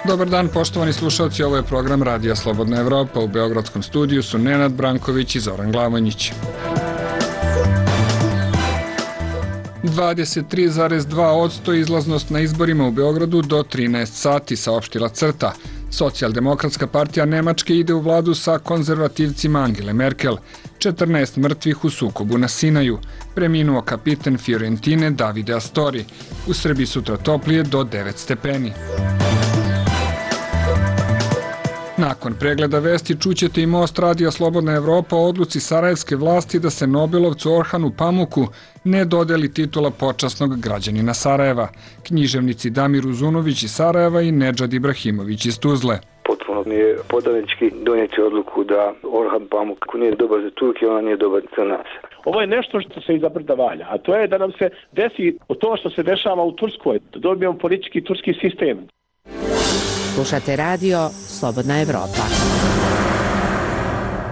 Dobar dan, poštovani slušalci, ovo je program Radija Slobodna Evropa. U beogradskom studiju su Nenad Branković i Zoran Glavonjić. 23,2% izlaznost na izborima u Beogradu do 13 sati, saopštila CRTA. Socijaldemokratska partija Nemačke ide u vladu sa konzervativcima Angele Merkel. 14 mrtvih u sukobu na Sinaju. Preminuo kapiten Fiorentine Davide Astori. U Srbiji sutra toplije do 9 stepeni. Nakon pregleda vesti čućete i Most Radija Slobodna Evropa o odluci sarajevske vlasti da se Nobelovcu Orhanu Pamuku ne dodeli titula počasnog građanina Sarajeva. Književnici Damir Uzunović iz Sarajeva i Nedžad Ibrahimović iz Tuzle. Potpuno mi je podanički donijeti odluku da Orhan Pamuk nije dobar za Turke, ona nije dobar za nas. Ovo je nešto što se iza brda valja, a to je da nam se desi to što se dešava u Turskoj, da dobijemo politički turski sistem. Slušate radio Slobodna Evropa.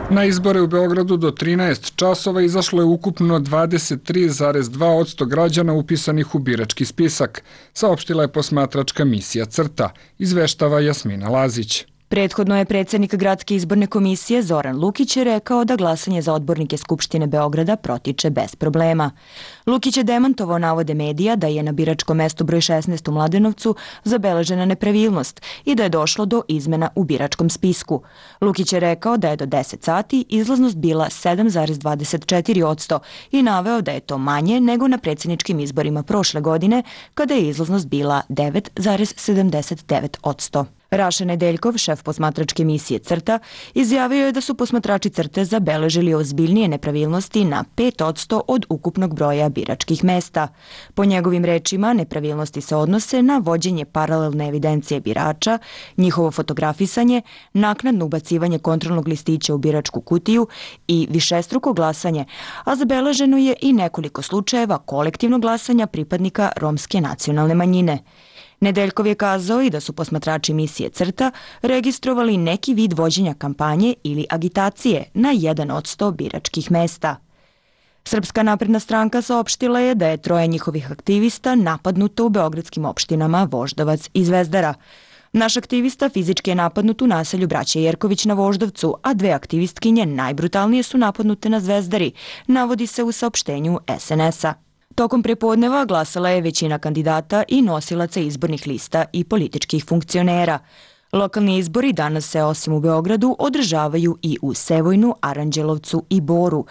Na izbore u Beogradu do 13 časova izašlo je ukupno 23,2% građana upisanih u birački spisak, saopštila je posmatračka misija CRTA, izveštava Jasmina Lazić. Prethodno je predsjednik Gradske izborne komisije Zoran Lukić rekao da glasanje za odbornike Skupštine Beograda protiče bez problema. Lukić je demantovao navode medija da je na biračkom mestu broj 16 u Mladenovcu zabeležena nepravilnost i da je došlo do izmena u biračkom spisku. Lukić je rekao da je do 10 sati izlaznost bila 7,24% i naveo da je to manje nego na predsjedničkim izborima prošle godine kada je izlaznost bila 9,79%. Raša Nedeljkov, šef posmatračke misije CRTA, izjavio je da su posmatrači CRTE zabeležili ozbiljnije nepravilnosti na 5% od ukupnog broja biračkih mesta. Po njegovim rečima, nepravilnosti se odnose na vođenje paralelne evidencije birača, njihovo fotografisanje, naknadno ubacivanje kontrolnog listića u biračku kutiju i višestruko glasanje, a zabeleženo je i nekoliko slučajeva kolektivnog glasanja pripadnika romske nacionalne manjine. Nedeljkov je kazao i da su posmatrači misije CRTA registrovali neki vid vođenja kampanje ili agitacije na 1% biračkih mesta. Srpska napredna stranka saopštila je da je 3 njihovih aktivista napadnuto u beogradskim opštinama Voždovac i Zvezdara. Naš aktivista fizički je napadnut u naselju Braće Jerković na Voždovcu, a 2 aktivistkinje najbrutalnije su napadnute na Zvezdari, navodi se u saopštenju SNS-a. Tokom prepodneva glasala je većina kandidata i nosilaca izbornih lista i političkih funkcionera. Lokalni izbori danas se osim u Beogradu održavaju i u Sevojnu, Aranđelovcu i Boru.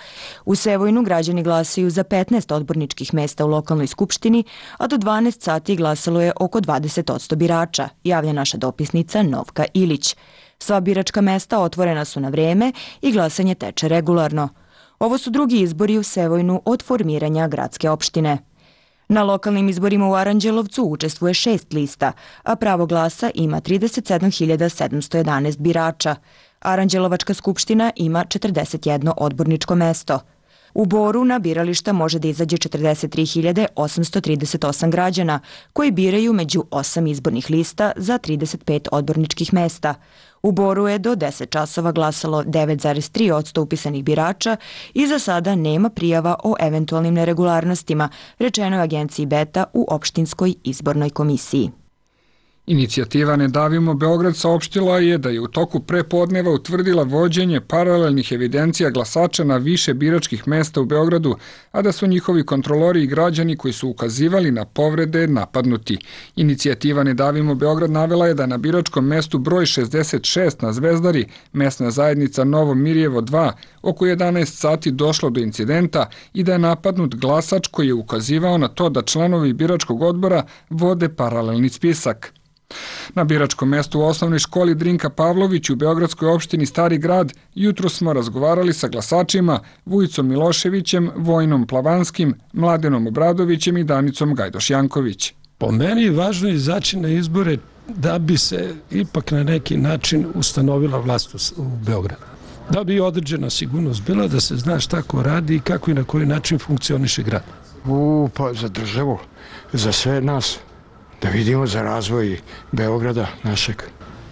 U Sevojnu građani glasaju za 15 odborničkih mesta u lokalnoj skupštini, a do 12 sati glasalo je oko 20% birača, javlja naša dopisnica Novka Ilić. Sva biračka mesta otvorena su na vreme i glasanje teče regularno. Ovo su drugi izbori u Sevojnu od formiranja gradske opštine. Na lokalnim izborima u Aranđelovcu učestvuje 6 lista, a pravo glasa ima 37.711 birača. Aranđelovačka skupština ima 41 odborničko mesto. U Boru na birališta može da izađe 43.838 građana koji biraju među 8 izbornih lista za 35 odborničkih mesta. U Boru je do 10 časova glasalo 9,3% upisanih birača i za sada nema prijava o eventualnim neregularnostima, rečeno je agenciji Beta u opštinskoj izbornoj komisiji. Inicijativa Ne davimo Beograd saopštila je da je u toku prepodneva utvrdila vođenje paralelnih evidencija glasača na više biračkih mesta u Beogradu, a da su njihovi kontrolori i građani koji su ukazivali na povrede napadnuti. Inicijativa Ne davimo Beograd navela je da na biračkom mestu broj 66 na Zvezdari, mesna zajednica Novo Mirjevo 2, oko 11 sati došlo do incidenta i da je napadnut glasač koji je ukazivao na to da članovi biračkog odbora vode paralelni spisak. Na biračkom mestu u osnovnoj školi Drinka Pavlović u beogradskoj opštini Stari grad jutro smo razgovarali sa glasačima Vujicom Miloševićem, Vojnom Plavanskim, Mladenom Obradovićem i Danicom Gajdoš-Janković. Po meni je važno izaći na izbore da bi se ipak na neki način ustanovila vlast u Beogradu. Da bi određena sigurnost bila, da se zna šta ko radi i kako i na koji način funkcioniše grad. Pa za državu, za sve nas. Da vidimo za razvoj Beograda našeg.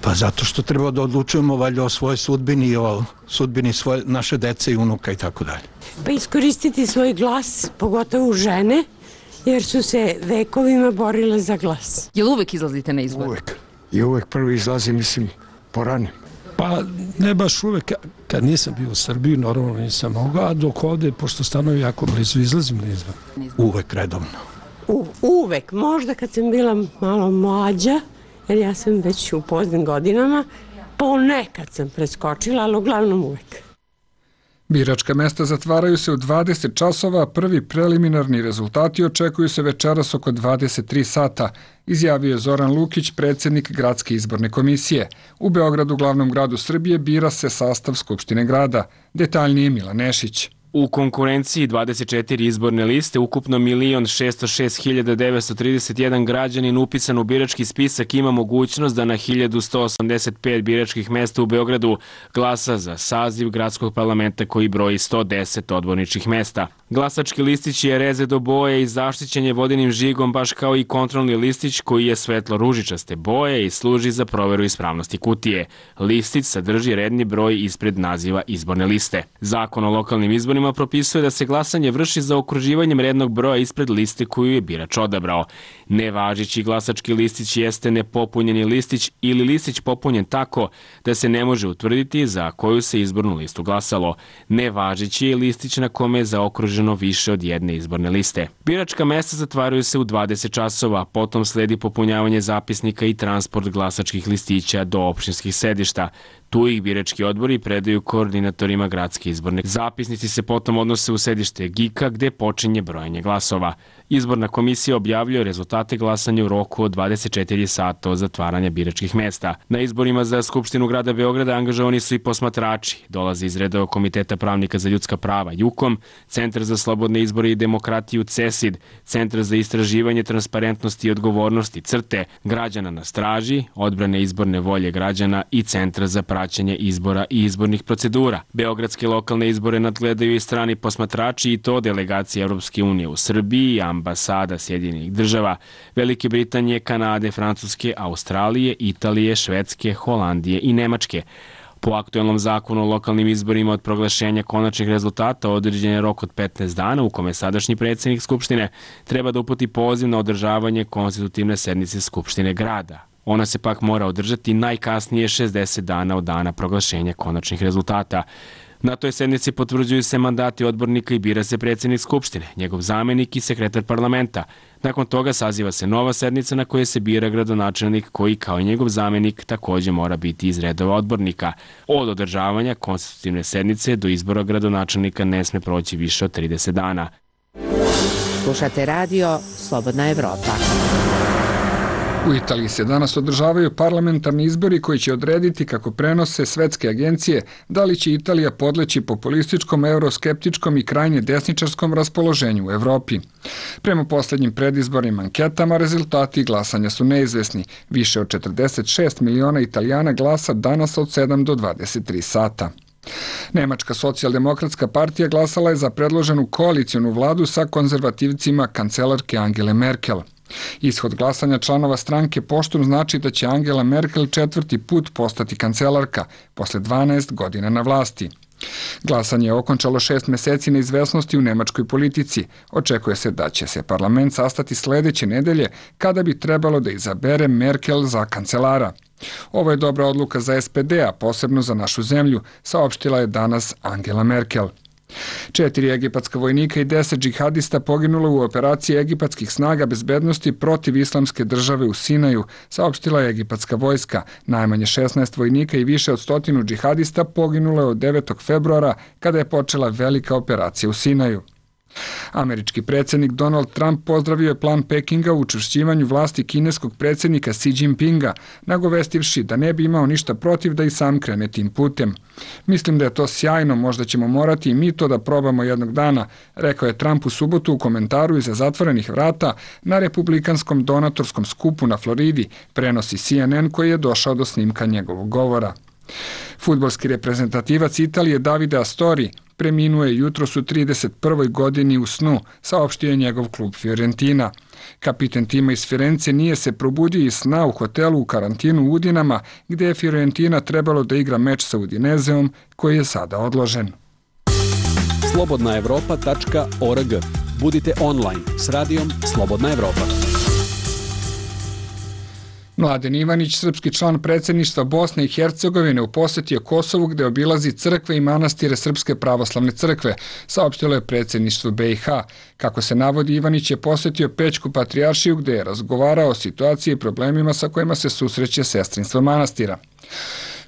Pa zato što treba da odlučujemo valjda o svojoj sudbini i o sudbini naše dece i unuka i tako dalje. Pa iskoristiti svoj glas, pogotovo žene, jer su se vekovima borile za glas. Jel uvek izlazite na izbor? Uvek. i uvek prvi izlazi, mislim, poranim. Pa ne baš uvek, kad nisam bio u Srbiji, normalno nisam mogao, a dok ovde, pošto stanovi jako blizu, izlazim na izbor. Uvek redovno. Uvek, možda kad sam bila malo mlađa, jer ja sam već u poznim godinama, ponekad sam preskočila, ali uglavnom uvek. Biračka mesta zatvaraju se u 20 časova, prvi preliminarni rezultati očekuju se večeras oko 23 sata, izjavio je Zoran Lukić, predsjednik Gradske izborne komisije. U Beogradu, glavnom gradu Srbije, bira se sastav Skupštine grada. Detaljnije Milan Nešić. U konkurenciji 24 izborne liste, ukupno 1.606.931 građanin upisan u birački spisak ima mogućnost da na 1185 biračkih mesta u Beogradu glasa za saziv gradskog parlamenta koji broji 110 odborničkih mesta. Glasački listić je reze do boje i zaštićen je vodenim žigom, baš kao i kontrolni listić koji je svetlo-ružičaste boje i služi za proveru ispravnosti kutije. Listić sadrži redni broj ispred naziva izborne liste. Zakon o lokalnim izborima propisuje da se glasanje vrši za okruživanjem rednog broja ispred liste koju je birač odabrao. Nevažeći glasački listić jeste nepopunjeni listić ili listić popunjen tako da se ne može utvrditi za koju se izbornu listu glasalo. Nevažeći je listić na kome je zaokruženo više od jedne izborne liste. Biračka mesta zatvaraju se u 20 časova, potom sledi popunjavanje zapisnika i transport glasačkih listića do opštinskih sedišta. Tu ih birački odbori predaju koordinatorima gradske izborne. Zapisnici se potom odnose u sedište GIK-a gde počinje brojanje glasova. Izborna komisija objavljuje rezultate glasanja u roku od 24 sata od zatvaranja biračkih mesta. Na izborima za Skupštinu grada Beograda angažovani su i posmatrači. Dolaze iz redova Komiteta pravnika za ljudska prava JUKOM, Centar za slobodne izbore i demokratiju CESID, Centar za istraživanje transparentnosti i odgovornosti CRTE, građana na straži, odbrane izborne volje građana i Centra za praćenje izbora i izbornih procedura. Beogradske lokalne izbore nadgledaju i strani posmatrači i to delegacije Evropske unije u Srbiji, ambasada Sjedinjenih država, Velike Britanije, Kanade, Francuske, Australije, Italije, Švedske, Holandije i Nemačke. Po aktuelnom zakonu o lokalnim izborima od proglašenja konačnih rezultata određen je rok od 15 dana u kome sadašnji predsjednik Skupštine treba da uputi poziv na održavanje konstitutivne sednice Skupštine grada. Ona se pak mora održati najkasnije 60 dana od dana proglašenja konačnih rezultata. Na toj sednici potvrđuju se mandati odbornika i bira se predsjednik Skupštine, njegov zamenik i sekretar parlamenta. Nakon toga saziva se nova sednica na kojoj se bira gradonačelnik koji kao i njegov zamenik također mora biti iz redova odbornika. Od održavanja konstitutivne sednice do izbora gradonačelnika ne sme proći više od 30 dana. Slušate radio Slobodna Evropa. U Italiji se danas održavaju parlamentarni izbori koji će odrediti, kako prenose svetske agencije, da li će Italija podleći populističkom, euroskeptičkom i krajnje desničarskom raspoloženju u Evropi. Prema posljednjim predizbornim anketama, rezultati glasanja su neizvesni. Više od 46 miliona Italijana glasa danas od 7 do 23 sata. Nemačka socijaldemokratska partija glasala je za predloženu koalicijonu vladu sa konzervativcima kancelarke Angele Merkel. Ishod glasanja članova stranke poštom znači da će Angela Merkel 4. put postati kancelarka, posle 12 godina na vlasti. Glasanje je okončalo 6 meseci neizvesnosti u nemačkoj politici. Očekuje se da će se parlament sastati sledeće nedelje, kada bi trebalo da izabere Merkel za kancelara. Ovo je dobra odluka za SPD, a posebno za našu zemlju, saopštila je danas Angela Merkel. 4 egipatska vojnika i 10 džihadista poginulo u operaciji egipatskih snaga bezbednosti protiv islamske države u Sinaju, saopštila je egipatska vojska. Najmanje 16 vojnika i više od 100 džihadista poginulo je od 9. februara, kada je počela velika operacija u Sinaju. Američki predsjednik Donald Trump pozdravio je plan Pekinga u učvršćivanju vlasti kineskog predsjednika Xi Jinpinga, nagovestivši da ne bi imao ništa protiv da i sam krene tim putem. Mislim da je to sjajno, možda ćemo morati i mi to da probamo jednog dana, rekao je Trump u subotu u komentaru iza zatvorenih vrata na republikanskom donatorskom skupu na Floridi, prenosi CNN koji je došao do snimka njegovog govora. Fudbalski reprezentativac Italije Davide Astori preminuo je jutros u 31. godini u snu, saopštio je njegov klub Fiorentina. Kapiten tima iz Firence nije se probudio iz sna u hotelu u karantinu u Udinama, gde je Fiorentina trebalo da igra meč sa Udinezeom, koji je sada odložen. slobodnaevropa.org. Budite online s radijom Slobodna Evropa. Mladen Ivanić, srpski član predsjedništva Bosne i Hercegovine, u posjeti je Kosovu gde obilazi crkve i manastire Srpske pravoslavne crkve, saopštilo je predsjedništvo BiH. Kako se navodi, Ivanić je posjetio Pećku patrijaršiju gde je razgovarao o situaciji i problemima sa kojima se susreće sestrinstvo manastira.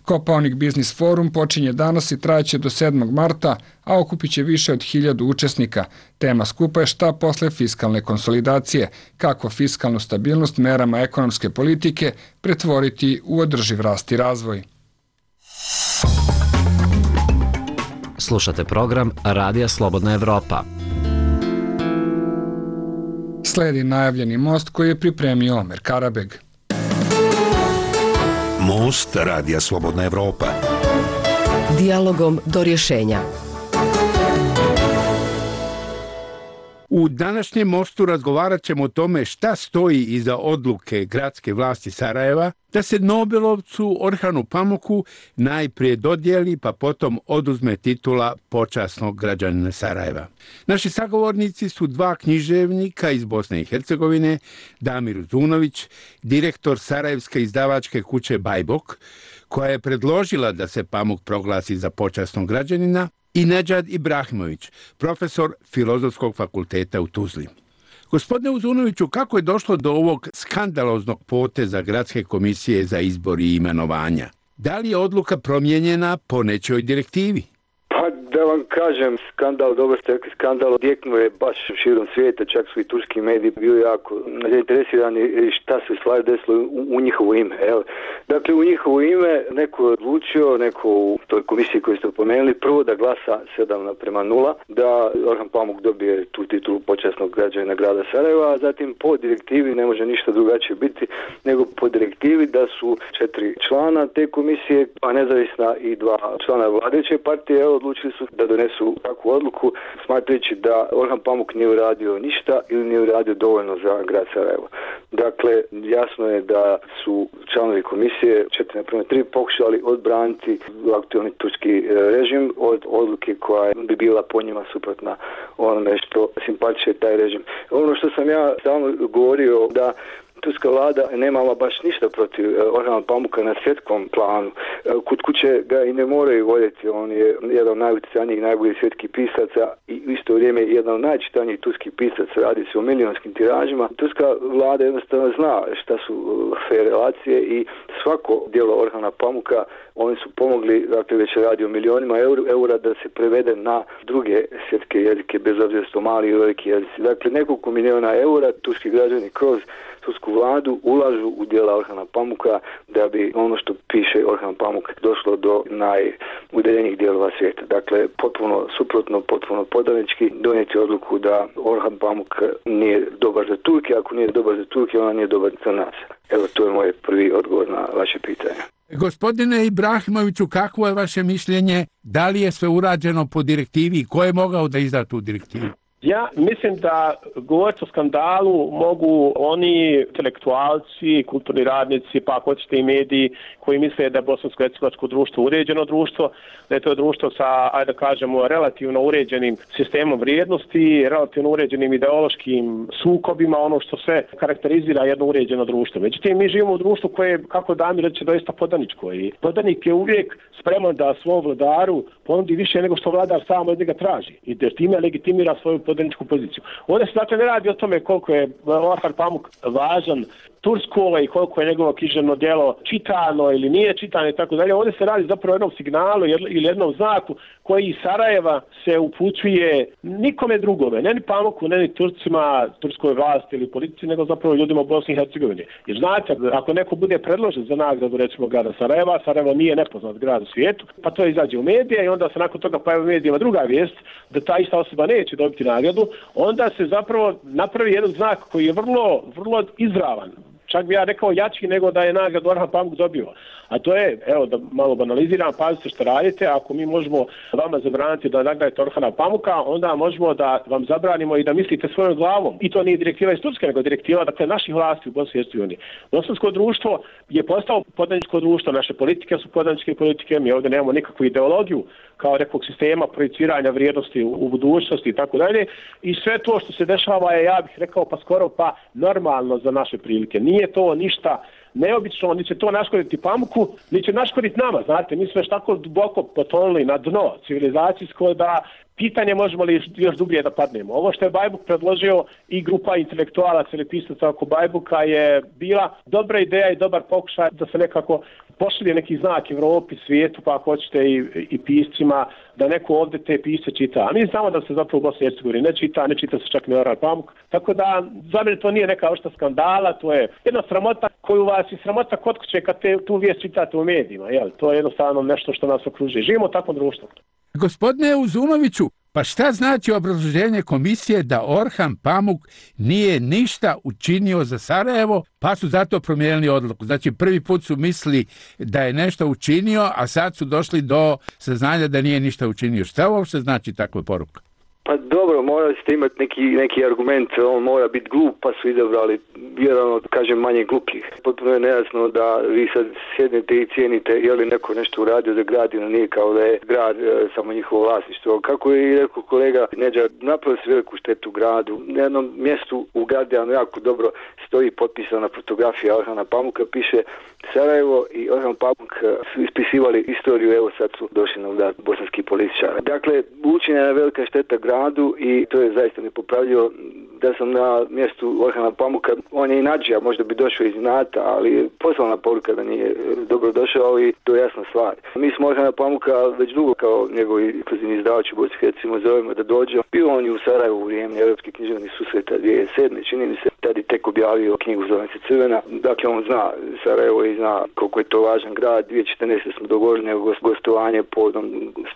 Kopaonik Biznis Forum počinje danas i trajeće do 7. marta, a okupit će više od 1000 učesnika. Tema skupa je šta posle fiskalne konsolidacije, kako fiskalnu stabilnost merama ekonomske politike pretvoriti u održiv rast i razvoj. Slušate program Radija Slobodna Evropa. Sledi najavljeni most koji je pripremio Omer Karabeg. Most Radija Slobodna Evropa. Dijalogom do rješenja. U današnjem mostu razgovarat ćemo o tome šta stoji iza odluke gradske vlasti Sarajeva da se Nobelovcu Orhanu Pamuku najprije dodijeli pa potom oduzme titula počasnog građanina Sarajeva. Naši sagovornici su dva književnika iz Bosne i Hercegovine, Damir Uzunović, direktor Sarajevske izdavačke kuće Bajbok, koja je predložila da se Pamuk proglasi za počasnog građanina, i Nedžad Ibrahimović, profesor Filozofskog fakulteta u Tuzli. Gospodine Uzunoviću, kako je došlo do ovog skandaloznog poteza Gradske komisije za izbor i imenovanja? Da li je odluka promijenjena po nečoj direktivi? Pa da vam kažem, skandal, dobro ste rekli, skandal odjeknuo je baš širom svijeta, čak su i turski mediji bili jako zainteresirani šta se stvari desilo u njihovo ime. Evo. Dakle, u njihovo ime neko je odlučio, neko u toj komisiji koju ste pomenuli, prvo da glasa 7:0, da Orhan Pamuk dobije tu titulu počasnog građanina grada Sarajeva, a zatim po direktivi, ne može ništa drugačije biti, nego po direktivi da su 4 člana te komisije, a nezavisna i 2 člana vladajuće partije, odlučili su da donesu takvu odluku, smatrajući da Orhan Pamuk nije uradio ništa ili nije uradio dovoljno za grad Sarajevo. Dakle, jasno je da su članovi komisije 4:3 pokušali odbraniti aktualni turski režim od odluke koja bi bila po njima suprotna onome što simpatiše taj režim. Ono što sam ja stalno govorio, da turska vlada nemala baš ništa protiv Orhana Pamuka na svjetskom planu. Kod kuće ga i ne moraju voljeti, on je jedan od najutjecajnijih, najboljih svjetskih pisaca i u isto vrijeme jedan od najčitanijih turskih pisaca, radi se o milionskim tiražima. Turska vlada jednostavno zna šta su fair relacije i svako djelo Orhana Pamuka oni su pomogli, dakle već radi o milionima eura da se prevede na druge svjetske jezike, bez obzira što mali i veliki jezici. Dakle, nekoliko milijuna eura turski građani kroz tursku vladu ulažu u djela Orhana Pamuka da bi ono što piše Orhan Pamuk došlo do najudaljenijih dijelova svijeta. Dakle, potpuno suprotno, potpuno podanički donijeti odluku da Orhan Pamuk nije dobar za Turke, ako nije dobar za Turke, ona nije dobar za nas. Evo, to je moj prvi odgovor na vaše pitanje. Gospodine Ibrahimoviću, kakvo je vaše mišljenje? Da li je sve urađeno po direktivi i ko je mogao da izda tu direktivu? Ja mislim da govoriti o skandalu mogu oni intelektualci, kulturni radnici, pa ako hoćete i mediji koji misle da je bosansko-hercegovačko društvo uređeno društvo, da je to društvo sa, ajde da kažemo, relativno uređenim sistemom vrijednosti, relativno uređenim ideološkim sukobima, ono što sve karakterizira jedno uređeno društvo. Međutim, mi živimo u društvu koje je, kako Damir reče, doista podaničko i podanik je uvijek spreman da svom vladaru ponudi više nego što vladar sam od njega traži i da time legitimira svoju podaničku poziciju. Ovdje se dakle ne radi o tome koliko je Orhan Pamuk važan Tursko i koliko je njegovo književno djelo čitano ili nije čitano i tako dalje. Ovdje se radi zapravo o jednom signalu ili jednom znaku koji iz Sarajeva se upućuje nikome drugome, ne ni Pamuku, ne ni Turcima, turskoj vlasti ili politici, nego zapravo ljudima u Bosni i Hercegovini. Jer znate, ako neko bude predložen za nagradu recimo grada Sarajeva, Sarajevo nije nepoznat grad u svijetu, pa to izađe u medije i onda se nakon toga pojavi u medijima druga vijest da ta ista osoba neće dobiti nagradu, onda se zapravo napravi jedan znak koji je vrlo izravan. Čak bi ja rekao jači nego da je nagradu Orhan Pamuk dobio. A to je, evo da malo banaliziram, pazite što radite, ako mi možemo vama zabraniti da nagradite Orhana Pamuka, onda možemo da vam zabranimo i da mislite svojom glavom. I to nije direktiva iz Turske, nego direktiva dakle, naših vlasti u Bosni i Hercegovini. Bosansko društvo je postalo podaničko društvo, naše politike su podaničke politike, mi ovdje nemamo nikakvu ideologiju kao nekog sistema projiciranja vrijednosti u budućnosti i tako dalje. I sve to što se dešava je, ja bih rekao, pa skoro pa normalno za naše prilike. Nije to ništa neobično, ni će to naškoditi pamuku, ni će naškoditi nama, znate, mi smo još tako duboko potonuli na dno civilizacijsko da pitanje možemo li još dublje da padnemo. Ovo što je Bajbuk predložio i grupa intelektualaca ili pisaca oko Bajbuka je bila dobra ideja i dobar pokušaj da se nekako pošalje neki znak Evropi, svijetu, pa ako hoćete i piscima, da neko ovdje te pise čita. A mi znamo da se zapravo u Bosni i Hercegovini ne čita se čak ni Orhan Pamuk. Tako da, za mene to nije neka ošta skandala, to je jedna sramota koju vas i sramota kod kuće kad tu vijest čitate u medijima. Jel? To je jednostavno nešto što nas okružuje. Živimo u takvom društvu. Gospodine Uzunoviću, pa šta znači obrazloženje komisije da Orhan Pamuk nije ništa učinio za Sarajevo, pa su zato promijenili odluku? Znači, prvi put su mislili da je nešto učinio, a sad su došli do saznanja da nije ništa učinio. Šta uopšte znači takva poruka? Pa dobro, morali ste imati neki argument, on mora biti glup, pa su izabrali vjerojatno, kažem, manje glupljih. Potpuno je nejasno da vi sad sjednete i cijenite je li neko nešto uradio za grad ili nije, kao da je grad samo njihovo vlasništvo. Kako je i rekao kolega Nedžad, napravili se veliku štetu gradu. Na jednom mjestu u Guardianu jako dobro stoji potpisana fotografija Orhana Pamuka, piše Sarajevo i Orhan Pamuk su ispisivali istoriju, evo sad su došli na udar bosanski političara. Dakle, učinjena je velika šteta gradu i to je zaista nepopravljivo. Da sam na mjestu Orhana Pamuka, on je i nađija, možda bi došao iz inata, ali poslana poruka da nije dobro došao i to je jasna stvar. Mi smo Orhana Pamuka već dugo kao njegovi inkluzivni izdavači u Bosni i Hercegovini zovemo da dođe. Bio on i u Sarajevu u vrijeme Europskih književnih susreta 2007. Čini mi se, tad je tek objavio knjigu Zove se Crvena. Dakle, on zna Sarajevo i zna koliko je to važan grad. 2014. smo dogovorili nego gostovanje povodom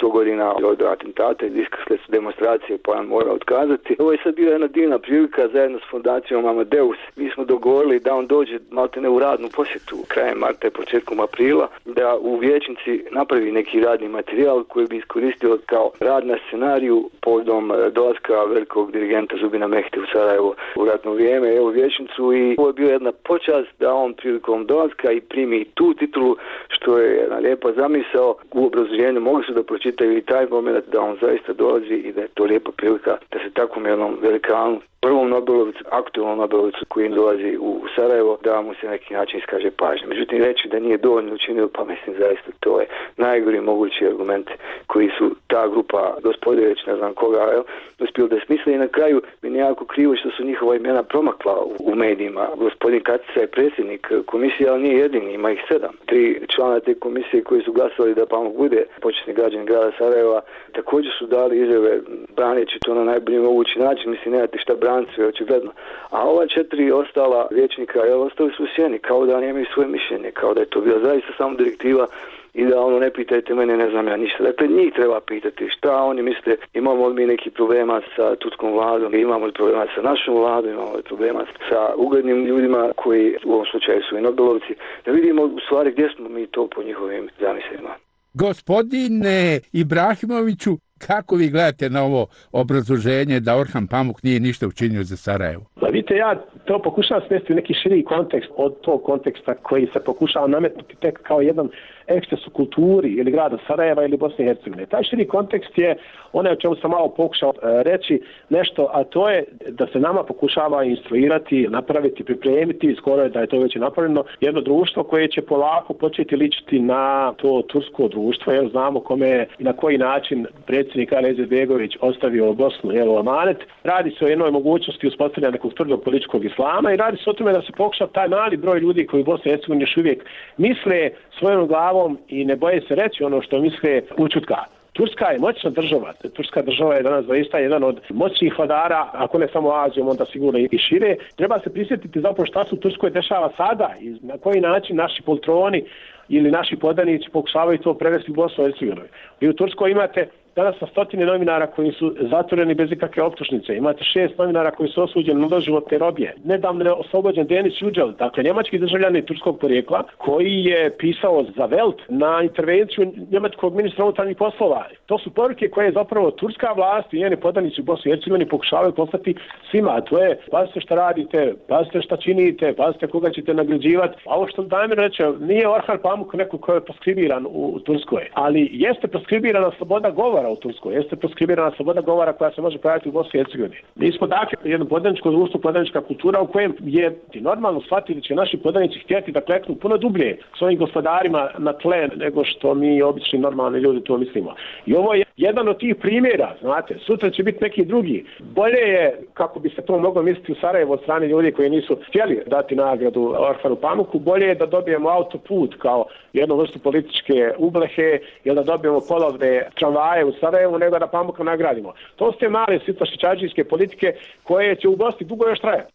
100 godina od atentata i diskrsle su demonstracije, pa on mora otkazati. Ovo je sad bila jedna divna prilika zajedno s fondacijom Amadeus. Mi smo dogovorili da on dođe maltene u radnu posjetu krajem marta i početkom aprila, da u vijećnici napravi neki radni materijal koji bi iskoristio kao rad na scenariju povodom dolaska velikog dirigenta Zubina Mehte u Sarajevo u ratno vrijeme, evo vijećnicu, i ovo je bio jedna počast da on prilikom dolaska i primi tu titulu, što je jedna lijepa zamisao. U obrazloženju mogli su da pročitaju i taj moment da on zaista dolazi i da je to lijepa prilika da se takvom jednom velikanu, prvom Nobelovicu, aktualnom Nobelovicu koji dolazi u Sarajevo, da mu se na neki način iskaže pažnja. Međutim, reći da nije dovoljno učinio, pa mislim zaista to je najgori mogući argument koji su ta grupa gospode, već ne znam koga, uspjeli da smisle, i na kraju mi je jako krivo što su njihova imena promakla u medijima. Gospodin Katica je predsjednik komisije, ali nije jedini, ima ih 7. 3 člana te komisije koji su glasovali da Pamuk bude počasni građanin grada Sarajeva, također su dali izjave braneći to na najbolji mogući način. Mislim, nemate šta braniti, sve očigledno. A ova 4 ostala vijećnika, ostali su u sjeni, kao da nemaju svoje mišljenje, kao da je to bila zaista samo direktiva i da ne pitajte mene, ne znam ja ništa. Dakle, njih treba pitati šta oni misle, imamo li mi neki problema sa turskom vladom, imamo li problema sa našom vladom, imamo li problema sa uglednim ljudima koji u ovom slučaju su i Nobelovci, da vidimo u stvari gdje smo mi to po njihovim zamislima. Gospodine Ibrahimoviću, kako vi gledate na ovo obrazloženje da Orhan Pamuk nije ništa učinio za Sarajevo? Vidite, ja to pokušavam smjestiti u neki širi kontekst od tog konteksta koji se pokušava nametnuti tek kao jedan eksces u kulturi ili grada Sarajeva ili Bosne i Hercegovine. Taj širi kontekst je onaj o čemu sam malo pokušao reći nešto, a to je da se nama pokušava instruirati, napraviti, pripremiti, skoro je da je to već napravljeno, jedno društvo koje će polako početi ličiti na to tursko društvo, jer znamo kome je i na koji način predsjednik Ali Izetbegović ostavio Bosnu, amanet. Radi se o jednoj mogućnosti uspostavljanja nekog tvrdog političkog islama i radi se o tome da se pokuša taj mali broj ljudi koji u Bosni i Hercegovini još uvijek misle svojom glavom i ne boje se reći ono što misle ućutka. Turska je moćna država. Turska država je danas zaista jedan od moćnih vladara, ako ne samo Azijom, onda sigurno i šire. Treba se prisjetiti zapravo šta se u Turskoj dešava sada i na koji način naši poltroni ili naši podanici pokušavaju to prevesti u Bosnu i Hercegovinu. Vi u Turskoj imate danas na 100 novinara koji su zatvoreni bez ikakve optužnice. Imate 6 novinara koji su osuđeni na doživotne robije. Nedavno je oslobođen Denis Yücel, dakle njemački državljanin turskog porijekla, koji je pisao za Welt na intervenciju njemačkog ministra unutarnjih poslova. To su poruke koje zapravo turska vlast i njeni podanici u Bosni i Hercegovini pokušavaju poslati svima, a to je pazite šta radite, pazite šta činite, pazite koga ćete nagrađivati. A ovo što Damir reče, nije Orhan Pamuk neko ko je proskribiran u Turskoj, ali jeste proskribirana sloboda govora govora u Turskoj, jeste proskribirana sloboda govora koja se može pojaviti u Bosni i Hercegovini. Mi smo dakle jedno podaničko društvo, podanička kultura u kojem je normalno shvatiti da će naši podanici htjeti da kleknu puno dublje svojim gospodarima na tle nego što mi obični normalni ljudi to mislimo. I ovo je jedan od tih primjera, znate, sutra će biti neki drugi. Bolje je, kako bi se to moglo misliti u Sarajevu od strane ljudi koji nisu htjeli dati nagradu Orhanu Pamuku, bolje je da dobijemo autoput kao jednu vrstu političke ublehe ili da dobijemo polovne tramvaje u Sarajevu nego da Pamuka nagradimo. To su te male sitlašičađijske politike koje će u Bosni dugo još trajati.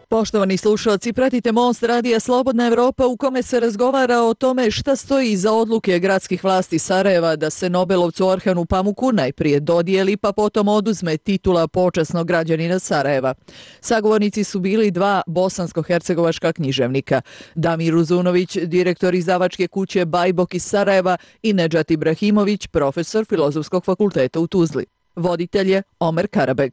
Poštovani slušalci, pratite Most Radija Slobodna Evropa u kome se razgovara o tome šta stoji iza odluke gradskih vlasti Sarajeva da se Nobelovcu Orhanu Pamuku najprije dodijeli pa potom oduzme titula počasnog građanina Sarajeva. Sagovornici su bili dva bosansko-hercegovačka književnika, Damir Uzunović, direktor izdavačke kuće Bajbok iz Sarajeva i Nedžat Ibrahimović, profesor Filozofskog fakulteta u Tuzli. Voditelj je Omer Karabeg.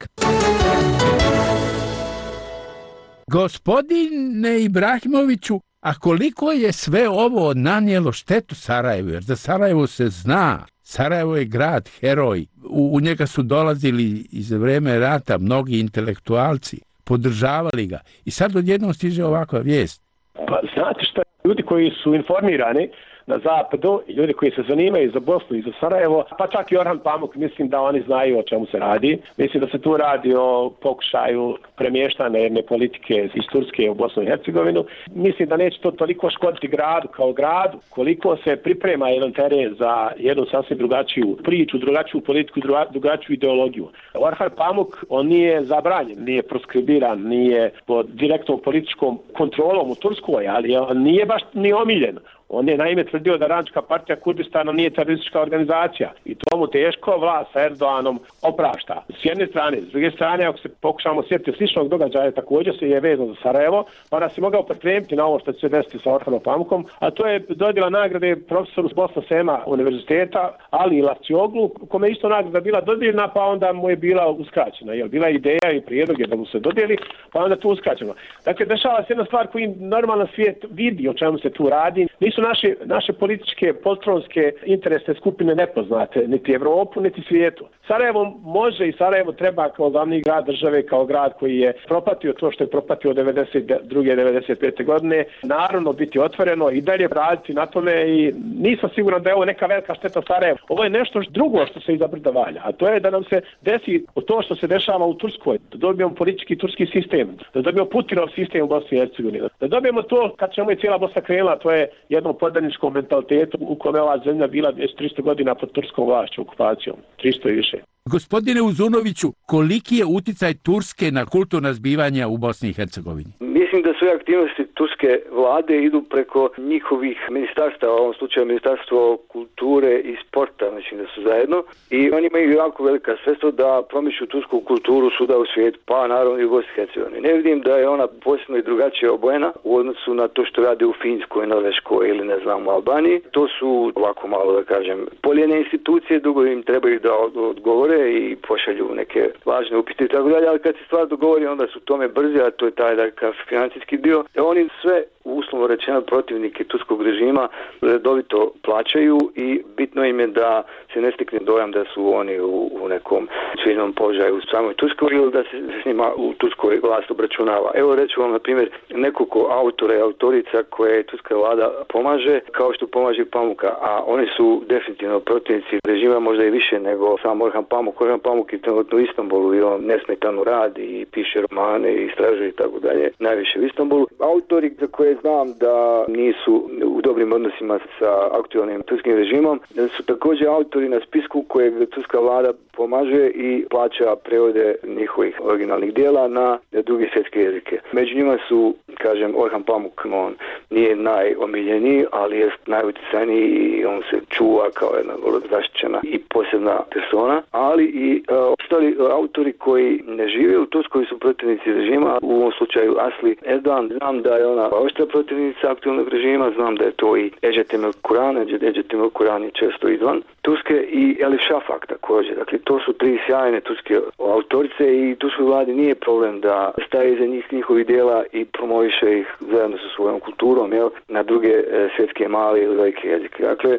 Gospodine Ibrahimoviću, a koliko je sve ovo nanijelo štetu Sarajevu? Jer za Sarajevo se zna. Sarajevo je grad, heroj. U njega su dolazili iz vreme rata mnogi intelektualci, podržavali ga. I sad odjednom stiže ovakva vijest. Pa znate što, ljudi koji su informirani na zapadu i ljudi koji se zanimaju za Bosnu i za Sarajevo, pa čak i Orhan Pamuk, mislim da oni znaju o čemu se radi. Mislim da se tu radi o pokušaju premještane jedne politike iz Turske u Bosnu i Hercegovinu. Mislim da neće to toliko škoditi gradu kao gradu, koliko se priprema jedan teren za jednu sasvim drugačiju priču, drugačiju politiku, drugačiju ideologiju. Orhan Pamuk, on nije zabranjen, nije proskribiran, nije pod direktnom političkom kontrolom u Turskoj, ali on nije baš ni omiljen. On je naime tvrdio da Radnička partija Kurdistana nije teroristička organizacija i to mu teško vlast sa Erdoganom oprašta. S jedne strane, s druge strane, ako se pokušamo sjetiti sličnog događaja, također se je vezano za Sarajevo, pa nas je mogao pripremiti na ovo što će se desiti sa Orhanom Pamukom, a to je dodjela nagrade profesoru s Bosna Sema univerziteta, Ali Ilacioglu, kome isto nagrada bila dodijeljena, pa onda mu je bila uskraćena. Jer bila ideja i prijedlog je da mu se dodijeli, pa onda tu uskraćeno. Dakle, dešava se jedna stvar koju normalan svijet vidi o čemu se tu radi. Nisu naše političke, poltronske interesne skupine nepoznate, niti Evropu, niti svijetu. Sarajevo može i Sarajevo treba kao glavni grad države, kao grad koji je propatio to što je propatio 92. 95. godine, naravno biti otvoreno i dalje raditi na tome i nisam siguran da je ovo neka velika šteta Sarajevo. Ovo je nešto drugo što se iza brda valja, a to je da nam se desi to što se dešava u Turskoj, da dobijemo politički turski sistem, da dobijemo Putinov sistem u Bosni i Hercegovini, da dobijemo to kad ćemo i cijela Bosna krenula, to je jedno podaničkom mentalitetu u kome ova zemlja bila 300 godina pod turskom vlašću, okupacijom, 300 i više. Gospodine Uzunoviću, koliki je uticaj Turske na kulturna zbivanja u Bosni i Hercegovini? Mislim da sve aktivnosti turske vlade idu preko njihovih ministarstava, u ovom slučaju Ministarstvo kulture i sporta, mislim da su zajedno, i oni imaju jako velika sredstva da promiču tursku kulturu svuda u svijetu, pa naravno i u Bosni i Hercegovini. Ne vidim da je ona posebno i drugačije obojena u odnosu na to što rade u Finskoj, Norveškoj ili ne znam u Albaniji. To su ovako malo da kažem poljene institucije, dugo im trebaju da odgovore i pošalju neke važne upite i tako dalje, ali kad se stvar dogovori onda su tome brzi, a to je taj dakle financijski dio. Oni sve uslovno rečeno protivnike turskog režima redovito plaćaju i bitno im je da se ne stekne dojam da su oni u nekom sviđenom položaju u samoj Turskoj ili da se s njima u Turskoj vlast obračunava. Evo reću vam na primjer nekoliko autora i autorica koje turska vlada pomaže, kao što pomaže Pamuka, a oni su definitivno protivnici režima možda i više nego sam Orhan Pamuk. Orhan Pamuk je trenutno u Istanbulu i on nesmetano radi i piše romane i istražuje i tako dalje, najviše u Istanbulu. Autori za koje znam da nisu u dobrim odnosima sa aktualnim turskim režimom su također autori na spisku kojeg turska vlada pomaže i plaća prevode njihovih originalnih dijela na druge svjetske jezike. Među njima su, kažem, Orhan Pamuk, on nije najomiljeniji, ali je najuticajniji i on se čuva kao jedna vrlo zaštićena i posebna persona, ali i ostali autori koji ne žive u Turskoj su protivnici režima, u ovom slučaju Asli Erdogan. Znam da je ona oštra protivnica aktualnog režima, znam da je to i Ecettemel Kuran, Ecettemel Kuran je često izvan Turske, i Elif Shafak također. Dakle, to su 3 sjajne turske autorice i turskoj vladi nije problem da staje iza njihovih djela i promoviše ih zajedno sa svojom kulturom, na druge svjetske male ili velike jezike. Dakle,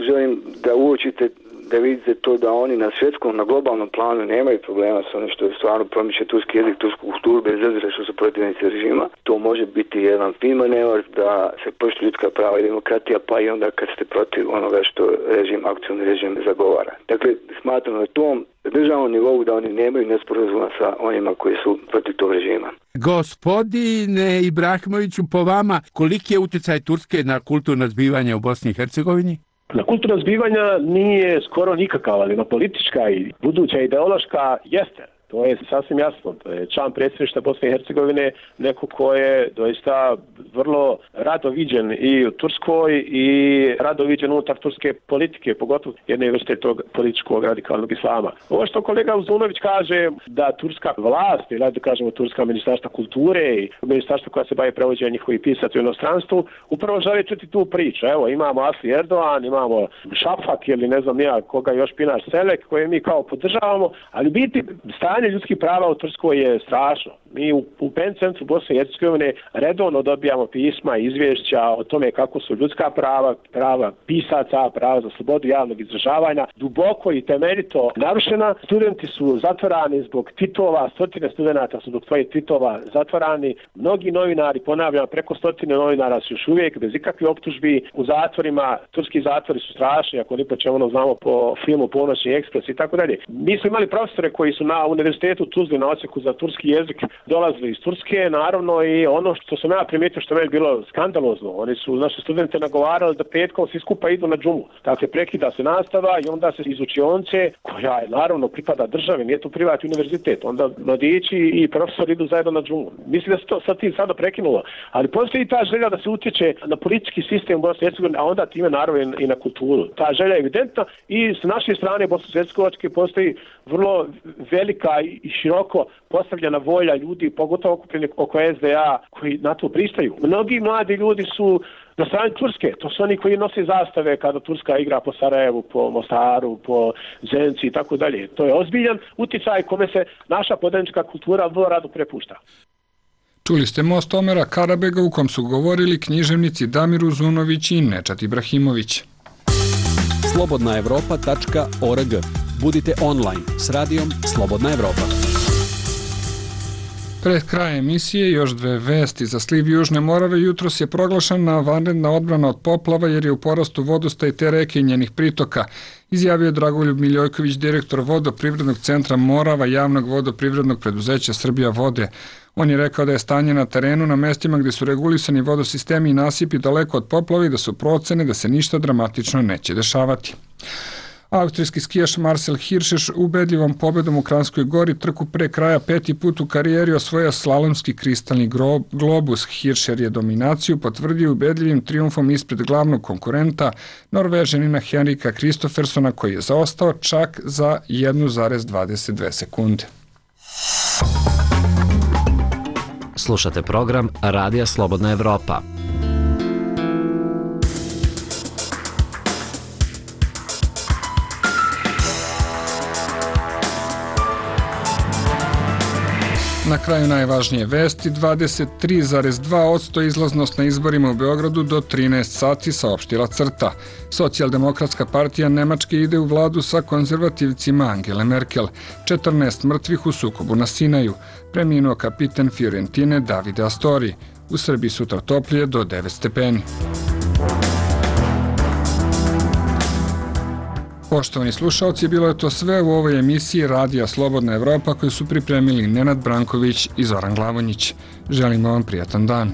želim da uočite, da vidite to da oni na svjetskom, na globalnom planu nemaju problema s onim što je stvarno promiče turski jezik, tursku kulturu, bez obzira što su protivnici režima. To može biti jedan fin manevar da se poštuje ljudska prava i demokratija, pa i onda kad ste protiv onoga što aktualni režim zagovara. Dakle, smatram na tom državnom nivou da oni nemaju nesporazuma sa onima koji su protiv tog režima. Gospodine Ibrahimoviću, po vama, koliki je utjecaj Turske na kulturno zbivanje u Bosni i Hercegovini? Na kulturna zbivanja nije skoro nikakav, ali na politička i buduća ideološka jeste. To je sasvim jasno. Član predsjedništva Bosne i Hercegovine neko ko je doista vrlo rado viđen i u Turskoj i rado viđen unutar turske politike, pogotovo jedne vrste tog političkog radikalnog islama. Ovo što kolega Uzunović kaže da turska vlast, ili da kažemo turska ministarstva kulture i ministarstva koja se bavi prevođenjem njihovih pisaca u inostranstvu, upravo žele čuti tu priču. Evo, imamo Asli Erdoğan, imamo Šafak ili ne znam ja koga još Pinaš Selek, koje mi kao podržavamo, ali biti stanje ljudskih prava u Turskoj je strašno. Mi u PEN centru Bosne i Hercegovine redovno dobijamo pisma i izvješća o tome kako su ljudska prava pisaca, prava za slobodu javnog izražavanja duboko i temeljito narušena. Studenti su zatvorani zbog tvitova, stotine studenata su zbog svojih tvitova zatvorani. Mnogi novinari, ponavljam, preko 100 novinara su još uvijek bez ikakvih optužbi u zatvorima. Turski zatvori su strašni, ako ni po čemu znamo po filmu Ponoćni ekspres i tako dalje. Mi smo imali profesore koji su na univerzitetu u Tuzli na odsjeku za turski jezik dolazili iz Turske, naravno, i ono što sam ja primijetio što je bilo skandalozno, oni su naše studente nagovarali da petkom svi skupa idu na džumu. Dakle, prekida se nastava i onda se iz učionice, koja je naravno pripada državi, nije to privatni univerzitet, onda mladići i profesori idu zajedno na džumu. Mislim da se to sad tim sada prekinulo, ali postoji ta želja da se utječe na politički sistem Bosne i Hercegovine, a onda time naravno i na kulturu. Ta želja je evidentna i s naše strane Bosansko-hercegovačke postoji vrlo velika i široko postavljena volja ljudi, pogotovo okupljeni oko SDA, koji na to pristaju. Mnogi mladi ljudi su na strani Turske, to su oni koji nose zastave kada Turska igra po Sarajevu, po Mostaru, po Zenci i tako dalje. To je ozbiljan utjecaj kome se naša podanička kultura vrlo rado prepušta. Čuli ste Most Omera Karabega u kom su govorili književnici Damir Uzunović i Nečat Ibrahimović. slobodnaevropa.org. Budite online s radijom Slobodna Evropa. Pred kraj emisije još 2 vesti. Za sliv Južne Morave jutros je proglašena vanredna odbrana od poplava jer je u porastu vodostaj te reke i njenih pritoka, izjavio je Dragoljub Miljojković, direktor vodoprivrednog centra Morava javnog vodoprivrednog preduzeća Srbija vode. On je rekao da je stanje na terenu na mestima gdje su regulisani vodosistemi i nasipi daleko od poplava i da su procene da se ništa dramatično neće dešavati. Austrijski skijaš Marcel Hirscher ubedljivom pobedom u Kranjskoj Gori trku pre kraja 5. put u karijeri osvojio slalomski kristalni globus. Hirscher je dominaciju potvrdio ubedljivim trijumfom ispred glavnog konkurenta Norvežanina Henrika Kristoffersona koji je zaostao čak za 1,22 sekunde. Slušate program Radija Slobodna Evropa. Na kraju najvažnije vesti, 23,2% izlaznost na izborima u Beogradu do 13 sati, saopštila CRTA. Socijaldemokratska partija Nemačke ide u vladu sa konzervativcima Angele Merkel. 14 mrtvih u sukobu na Sinaju. Preminuo kapiten Fiorentine Davide Astori. U Srbiji sutra toplije do 9 stepeni. Poštovani slušalci, bilo je to sve u ovoj emisiji Radija Slobodna Evropa koju su pripremili Nenad Branković i Zoran Glavonjić. Želimo vam prijatan dan.